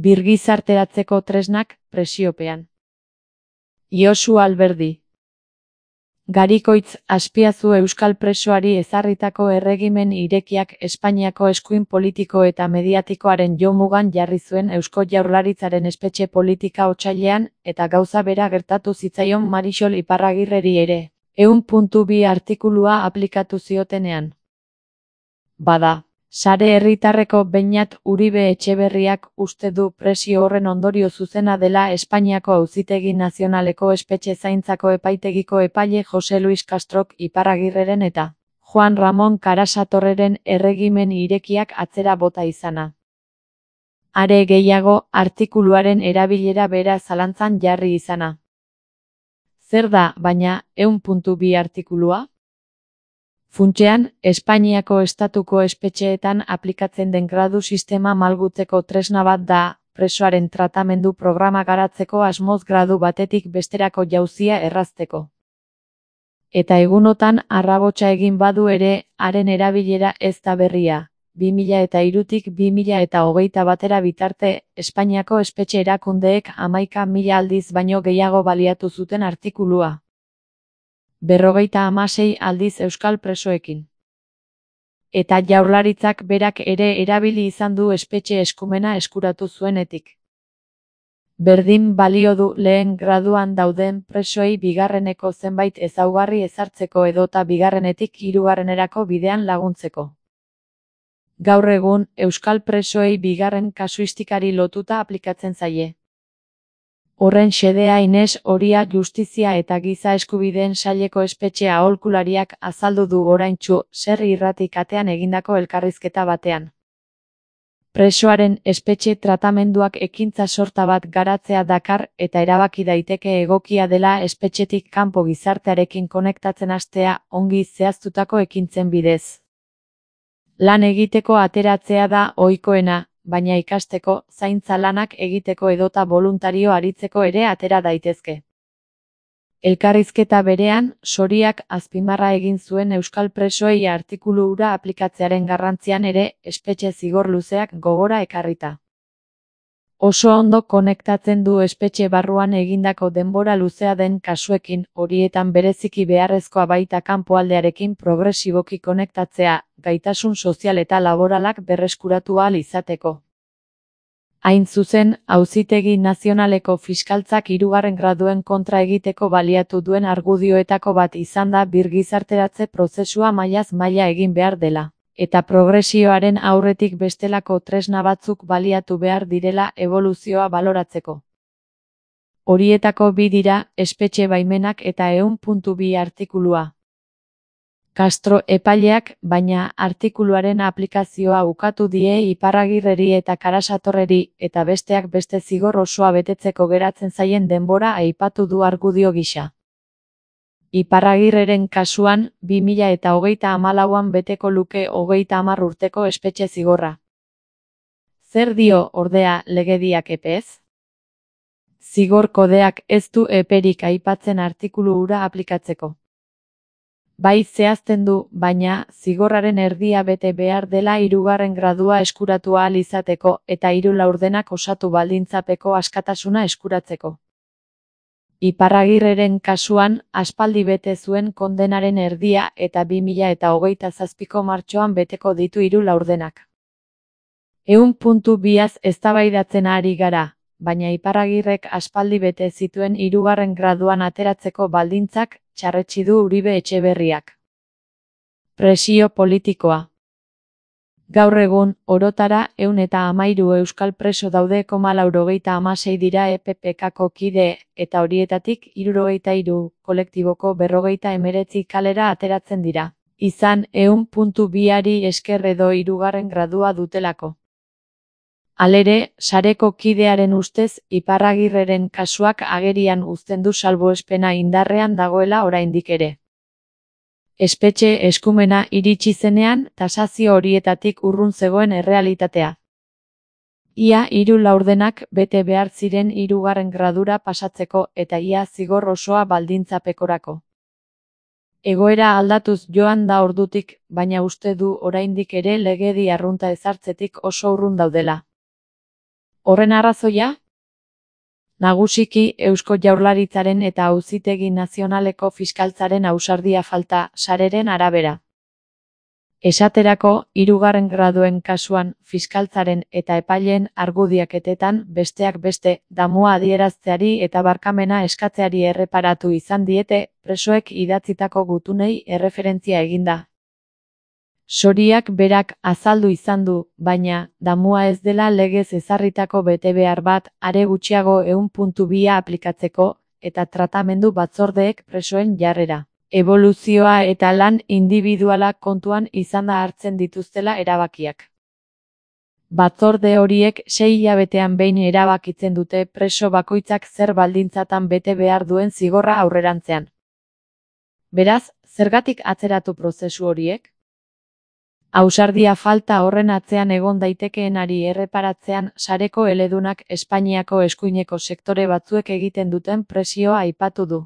Birgizarteratzeko tresnak presiopean. Josu Alberdi. Garikoitz Azpiazu euskal presoari ezarritako erregimen irekiak Espainiako eskuin politiko eta mediatikoaren jomugan jarri zuen Eusko Jaurlaritzaren espetxe politika otsailean, eta gauza bera gertatu zitzaion Marixol Iparragirreri ere, 1.2 artikulua aplikatu ziotenean. Bada, Sare Herritarreko Beñat Uribe Etxeberriak uste du presio horren ondorio zuzena dela Espainiako Auzitegi Nazionaleko espetxe zaintzako epaitegiko epaile Jose Luis Castrok Iparragirreren eta Juan Ramon Karasatorreren erregimen irekiak atzera bota izana. Are gehiago, artikuluaren erabilera bera zalantzan jarri izana. Zer da, baina, 1.2 artikulua? Funtsean, Espainiako estatuko espetxeetan aplikatzen den gradu sistema malgutzeko tresna bat da, presoaren tratamendu programa garatzeko asmoz gradu batetik besterako jauzia errazteko. Eta egunotan arrabotsa egin badu ere, haren erabilera ez da berria. 2003tik 2021 batera bitarte, Espainiako espetxe erakundeek 11.000 aldiz baino gehiago baliatu zuten artikulua. 56 aldiz euskal presoekin. Eta Jaurlaritzak berak ere erabili izan du espetxe eskumena eskuratu zuenetik. Berdin balio du lehen graduan dauden presoei bigarreneko zenbait ezaugarri ezartzeko edota bigarrenetik hirugarrenerako bidean laguntzeko. Gaur egun, euskal presoei bigarren kasuistikari lotuta aplikatzen zaie. Horren xedea Ines Oria Justizia eta Giza Eskubideen Saileko espetxe aholkulariak azaldu du oraintsu Ser Irrati katean egindako elkarrizketa batean. Presoaren espetxe tratamenduak ekintza sorta bat garatzea dakar eta erabaki daiteke egokia dela espetxetik kanpo gizartearekin konektatzen hastea ongi zehaztutako ekintzen bidez. Lan egiteko ateratzea da ohikoena, baina ikasteko, zaintza lanak egiteko edota boluntario aritzeko ere atera daitezke. Elkarrizketa berean, Soriak azpimarra egin zuen euskal presoei artikulu hura aplikatzearen garrantzian ere, espetxe zigor luzeak gogora ekarrita. Oso ondo konektatzen du espetxe barruan egindako denbora luzea den kasuekin, horietan bereziki beharrezkoa baita kanpoaldearekin progresiboki konektatzea, gaitasun sozial eta laboralak berreskuratu ahal izateko. Hain zuzen, Auzitegi Nazionaleko Fiskaltzak 3. graduen kontra egiteko baliatu duen argudioetako bat izan da birgizarteratze prozesua mailaz maila egin behar dela, eta progresioaren aurretik bestelako tresna batzuk baliatu behar direla eboluzioa baloratzeko. Horietako bi dira, espetxe baimenak eta 1.2 artikulua. Castro epaileak, baina, artikuluaren aplikazioa ukatu die Iparragirreri eta Karasatorreri, eta besteak beste zigor osoa betetzeko geratzen zaien denbora aipatu du argudio gisa. Iparragirreren kasuan, 2034an beteko luke 30 urteko espetxe zigorra. Zer dio, ordea, legediak epez? Zigor kodeak ez du eperik aipatzen artikulu hura aplikatzeko. Bai zehazten du, baina, zigorraren erdia bete behar dela 3. gradua eskuratu ahal izateko eta 3 laurdenak osatu baldintzapeko askatasuna eskuratzeko. Iparragirreren kasuan, aspaldi bete zuen kondenaren erdia eta 2027ko martxoan beteko ditu 3 laurdenak. 1.2az eztabaidatzen ari gara, baina Iparragirrek aspaldi bete zituen 3. graduan ateratzeko baldintzak txarretsi du Uribe Etxeberriak. Presio politikoa. Gaur egun, orotara 113 euskal preso daude, 96 dira EPPKko kide, eta horietatik 73 kolektiboko 59 kalera ateratzen dira. Izan 1.2ari esker edo 3. gradua dutelako. Halere, sareko kidearen ustez, Iparragirreren kasuak agerian uzten du salbuespena indarrean dagoela oraindik ere. Espetxe eskumena iritsi zenean, tasazio horietatik urrun zegoen errealitatea. Ia 3 laurdenak bete behar ziren 3. gradura pasatzeko eta ia zigor osoa baldintzapekorako. Egoera aldatuz joan da ordutik, baina uste du oraindik ere legedi arrunta ezartzetik oso urrun daudela. Horren arrazoia? Nagusiki Eusko Jaurlaritzaren eta Auzitegi Nazionaleko Fiskaltzaren ausardia falta, sareren arabera. Esaterako, 3. graduen kasuan, fiskaltzaren eta epaileen argudiaketetan, besteak beste, damua adierazteari eta barkamena eskatzeari erreparatu izan diete, presoek idatzitako gutunei erreferentzia eginda. Soriak berak azaldu izan du, baina, damua ez dela legez ezarritako betebehar bat, are gutxiago 1.2 aplikatzeko, eta tratamendu batzordeek presoen jarrera, eboluzioa eta lan indibiduala kontuan izanda hartzen dituztela erabakiak. Batzorde horiek 6 hilabetean behin erabakitzen dute preso bakoitzak zer baldintzatan bete behar duen zigorra aurrerantzean. Beraz, zergatik atzeratu prozesu horiek? Ausardia falta horren atzean egon daitekeenari erreparatzean sareko eledunak Espainiako eskuineko sektore batzuek egiten duten presioa aipatu du.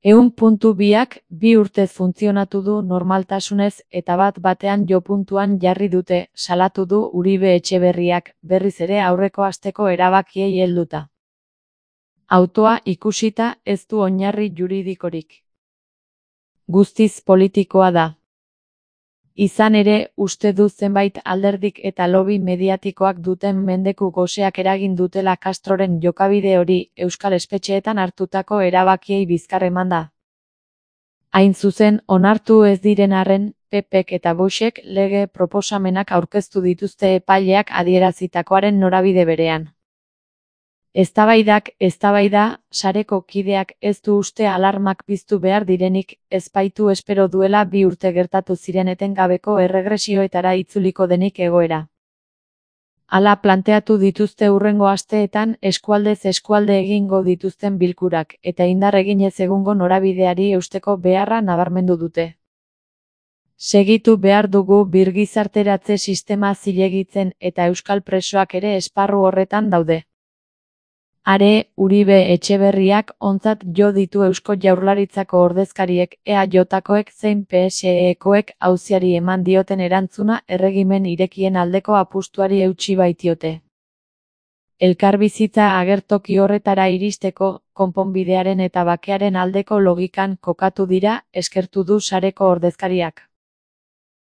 1.2ak 2 urtez funtzionatu du normaltasunez eta bat-batean jopuntuan jarri dute, salatu du Uribe Etxeberriak, berriz ere aurreko asteko erabakiei helduta. Autoa ikusita ez du oinarri juridikorik. Guztiz politikoa da. Izan ere, uste du zenbait alderdik eta lobby mediatikoak duten mendeku goseak eragin dutela Castroren jokabide hori euskal espetxeetan hartutako erabakiei bizkar emanda. Hain zuzen, onartu ez diren arren, PPk eta Voxek lege proposamenak aurkeztu dituzte epaileak adierazitakoaren norabide berean. Eztabaida, sareko kideak ez du uste alarmak piztu behar direnik, ez baitu espero duela 2 urte gertatu ziren etengabeko erregresioetara itzuliko denik egoera. Hala planteatu dituzte hurrengo asteetan eskualdez eskualde egingo dituzten bilkurak, eta indar eginez egungo norabideari eusteko beharra nabarmendu dute. Segitu behar dugu birgizarteratze sistema zilegitzen eta euskal presoak ere esparru horretan daude. Are, Uribe Etxeberriak ontzat jo ditu Eusko Jaurlaritzako ordezkariek, EAJkoek zein PSEkoek auziari eman dioten erantzuna erregimen irekien aldeko apustuari eutsi baitiote. Elkarbizitza agertoki horretara iristeko, konponbidearen eta bakearen aldeko logikan kokatu dira, eskertu du sareko ordezkariak.